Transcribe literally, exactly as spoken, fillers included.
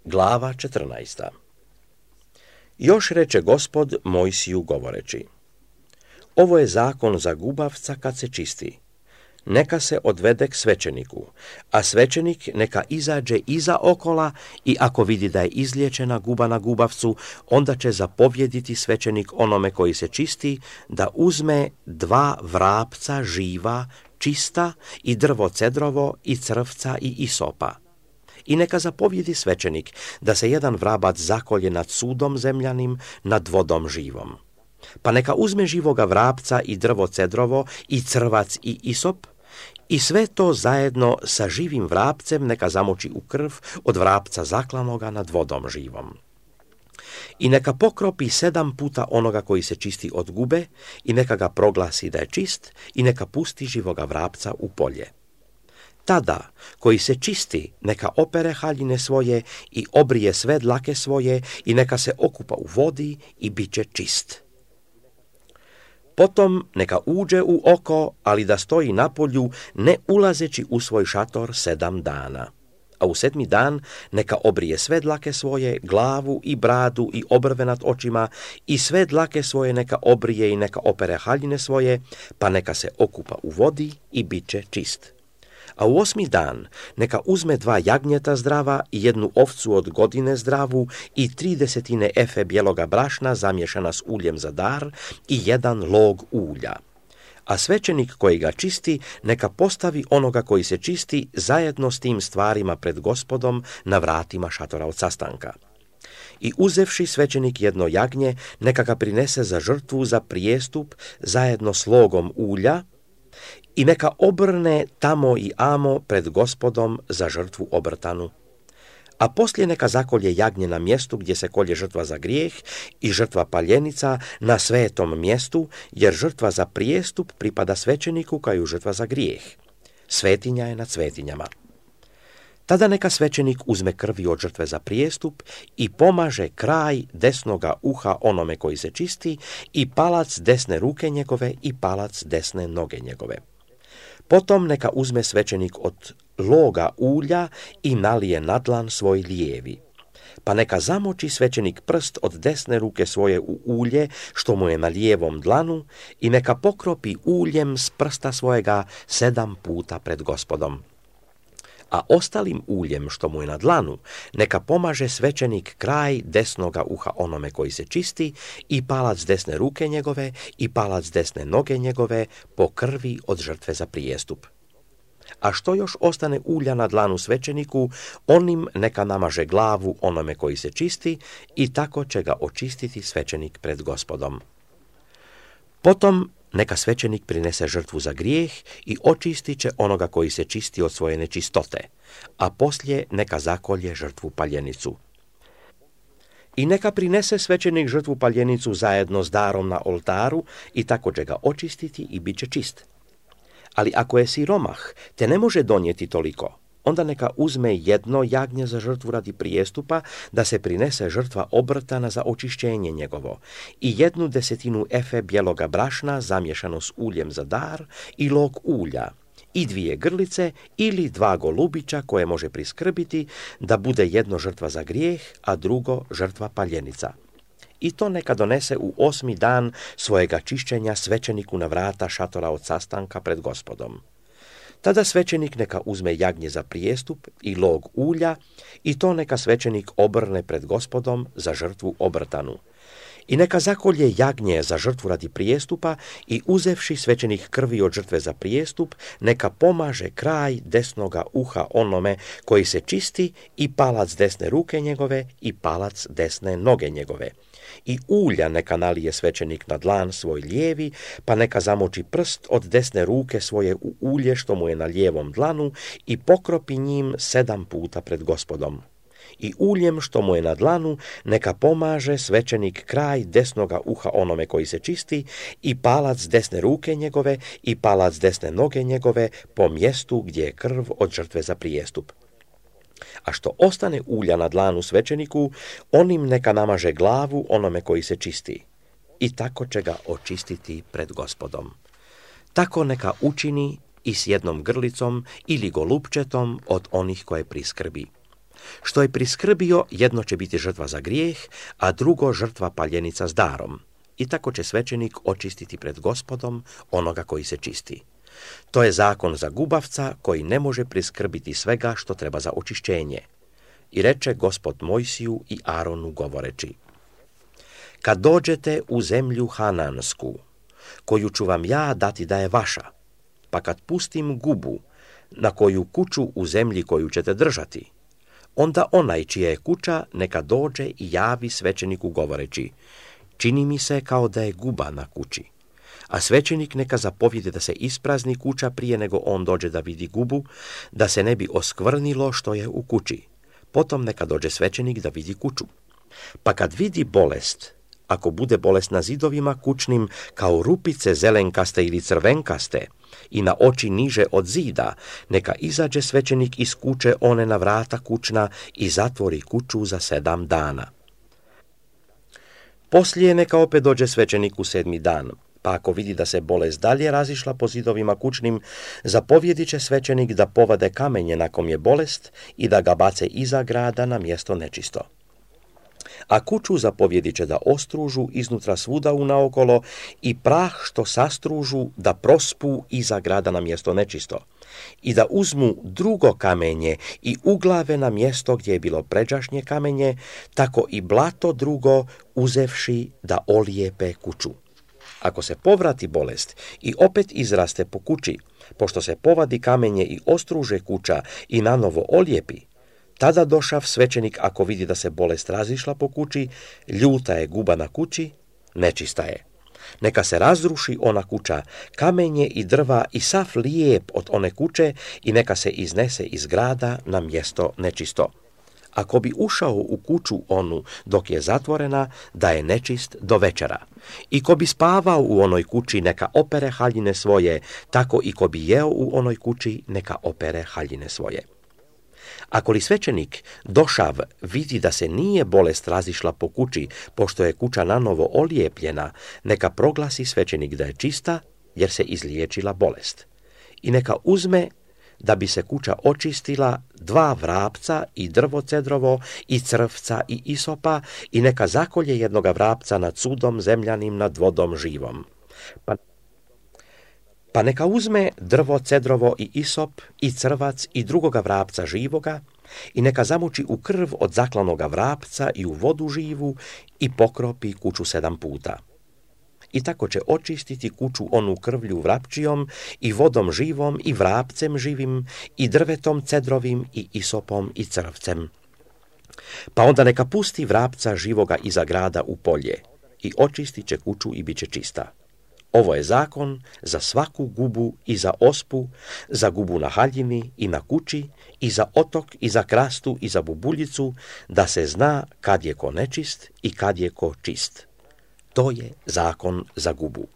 Glava četrnaesta. Još reče Gospod Mojsiju govoreći: ovo je zakon za gubavca kad se čisti. Neka se odvede k svećeniku, a svećenik neka izađe iza okola i ako vidi da je izliječena guba na gubavcu, onda će zapovjediti svećenik onome koji se čisti da uzme dva vrapca živa, čista i drvo cedrovo i crvca i isopa. I neka zapovjedi svećenik da se jedan vrabac zakolje nad sudom zemljanim, nad vodom živom. Pa neka uzme živoga vrapca i drvo cedrovo i crvac i isop i sve to zajedno sa živim vrapcem neka zamoči u krv od vrapca zaklanoga nad vodom živom. I neka pokropi sedam puta onoga koji se čisti od gube i neka ga proglasi da je čist i neka pusti živoga vrapca u polje. Tada, koji se čisti, neka opere haljine svoje i obrije sve dlake svoje i neka se okupa u vodi i bit će čist. Potom neka uđe u oko, ali da stoji na polju, ne ulazeći u svoj šator sedam dana. A u sedmi dan neka obrije sve dlake svoje, glavu i bradu i obrve nad očima i sve dlake svoje neka obrije i neka opere haljine svoje, pa neka se okupa u vodi i bit će čist. A u osmi dan neka uzme dva jagnjeta zdrava i jednu ovcu od godine zdravu i tri desetine efe bijeloga brašna zamješana s uljem za dar i jedan log ulja. A svećenik koji ga čisti neka postavi onoga koji se čisti zajedno s tim stvarima pred Gospodom na vratima šatora od sastanka. I uzevši svećenik jedno jagnje, neka ga prinese za žrtvu za prijestup zajedno s logom ulja, i neka obrne tamo i amo pred Gospodom za žrtvu obrtanu. A poslije neka zakolje jagnje na mjestu gdje se kolje žrtva za grijeh i žrtva paljenica na svetom mjestu, jer žrtva za prijestup pripada svećeniku kao i žrtva za grijeh. Svetinja je nad svetinjama. Tada neka svećenik uzme krvi od žrtve za prijestup i pomaže kraj desnoga uha onome koji se čisti i palac desne ruke njegove i palac desne noge njegove. Potom neka uzme svećenik od loga ulja i nalije na dlan svoj lijevi. Pa neka zamoči svećenik prst od desne ruke svoje u ulje što mu je na lijevom dlanu i neka pokropi uljem s prsta svojega sedam puta pred Gospodom. A ostalim uljem što mu je na dlanu neka pomaže svećenik kraj desnoga uha onome koji se čisti i palac desne ruke njegove i palac desne noge njegove po krvi od žrtve za prijestup. A što još ostane ulja na dlanu svećeniku, onim neka namaže glavu onome koji se čisti i tako će ga očistiti svećenik pred Gospodom. Potom neka svećenik prinese žrtvu za grijeh i očistit će onoga koji se čisti od svoje nečistote, a poslije neka zakolje žrtvu paljenicu. I neka prinese svećenik žrtvu paljenicu zajedno s darom na oltaru i tako će ga očistiti i bit će čist. Ali ako je siromah, te ne može donijeti toliko, onda neka uzme jedno jagnje za žrtvu radi prijestupa, da se prinese žrtva obrtana za očišćenje njegovo, i jednu desetinu efe bijeloga brašna zamješano s uljem za dar i log ulja, i dvije grlice ili dva golubića koje može priskrbiti, da bude jedno žrtva za grijeh, a drugo žrtva paljenica. I to neka donese u osmi dan svojega čišćenja svećeniku na vrata šatora od sastanka pred Gospodom. Tada svećenik neka uzme jagnje za prijestup i log ulja i to neka svećenik obrne pred Gospodom za žrtvu obrtanu. I neka zakolje jagnje za žrtvu radi prijestupa i uzevši svećenik krvi od žrtve za prijestup, neka pomaže kraj desnoga uha onome koji se čisti i palac desne ruke njegove i palac desne noge njegove. I ulja neka nalije svećenik na dlan svoj lijevi, pa neka zamoči prst od desne ruke svoje u ulje što mu je na lijevom dlanu i pokropi njim sedam puta pred Gospodom. I uljem što mu je na dlanu neka pomaže svećenik kraj desnoga uha onome koji se čisti i palac desne ruke njegove i palac desne noge njegove po mjestu gdje je krv od žrtve za prijestup. A što ostane ulja na dlanu svećeniku, onim neka namaže glavu onome koji se čisti i tako će ga očistiti pred Gospodom. Tako neka učini i s jednom grlicom ili golupčetom od onih koje priskrbi. Što je priskrbio, jedno će biti žrtva za grijeh, a drugo žrtva paljenica s darom. I tako će svećenik očistiti pred Gospodom onoga koji se čisti. To je zakon za gubavca koji ne može priskrbiti svega što treba za očišćenje. I reče Gospod Mojsiju i Aronu govoreći: kad dođete u zemlju Hanansku, koju ću vam ja dati da je vaša, pa kad pustim gubu na koju kuću u zemlji koju ćete držati, onda onaj čija je kuća neka dođe i javi svećeniku govoreći: čini mi se kao da je guba na kući. A svećenik neka zapovjede da se isprazni kuća prije nego on dođe da vidi gubu, da se ne bi oskvrnilo što je u kući. Potom neka dođe svećenik da vidi kuću. Pa kad vidi bolest, ako bude bolest na zidovima kućnim kao rupice zelenkaste ili crvenkaste i na oči niže od zida, neka izađe svećenik iz kuće one na vrata kućna i zatvori kuću za sedam dana. Poslije neka opet dođe svećenik u sedmi dan, pa ako vidi da se bolest dalje razišla po zidovima kućnim, zapovjedit će svećenik da povade kamenje na kom je bolest i da ga bace iza grada na mjesto nečisto. A kuću zapovjedit će da ostružu iznutra svuda unaokolo i prah što sastružu da prospu iza grada na mjesto nečisto i da uzmu drugo kamenje i uglave na mjesto gdje je bilo pređašnje kamenje, tako i blato drugo uzevši da olijepe kuću. Ako se povrati bolest i opet izraste po kući, pošto se povadi kamenje i ostruže kuća i nanovo olijepi, tada došav svećenik ako vidi da se bolest razišla po kući, ljuta je guba na kući, nečista je. Neka se razruši ona kuća, kamenje i drva i sav lijep od one kuće i neka se iznese iz grada na mjesto nečisto. Ako bi ušao u kuću onu dok je zatvorena, da je nečist do večera. I ko bi spavao u onoj kući, neka opere haljine svoje, tako i ko bi jeo u onoj kući, neka opere haljine svoje. Ako li svećenik došav vidi da se nije bolest razišla po kući, pošto je kuća nanovo olijepljena, neka proglasi svećenik da je čista, jer se izliječila bolest. I neka uzme, da bi se kuća očistila, dva vrapca i drvo cedrovo i crvca i isopa i neka zakolje jednoga vrapca nad sudom zemljanim nad vodom živom. Pa, pa neka uzme drvo cedrovo i isop i crvac i drugoga vrapca živoga i neka zamoči u krv od zaklanoga vrapca i u vodu živu i pokropi kuću sedam puta. I tako će očistiti kuću onu krvlju vrapčijom i vodom živom i vrapcem živim i drvetom cedrovim i isopom i crvcem. Pa onda neka pusti vrapca živoga iza grada u polje i očistit će kuću i bit će čista. Ovo je zakon za svaku gubu i za ospu, za gubu na haljini i na kući, i za otok, i za krastu, i za bubuljicu, da se zna kad je ko nečist i kad je ko čist. To je zakon za gubu.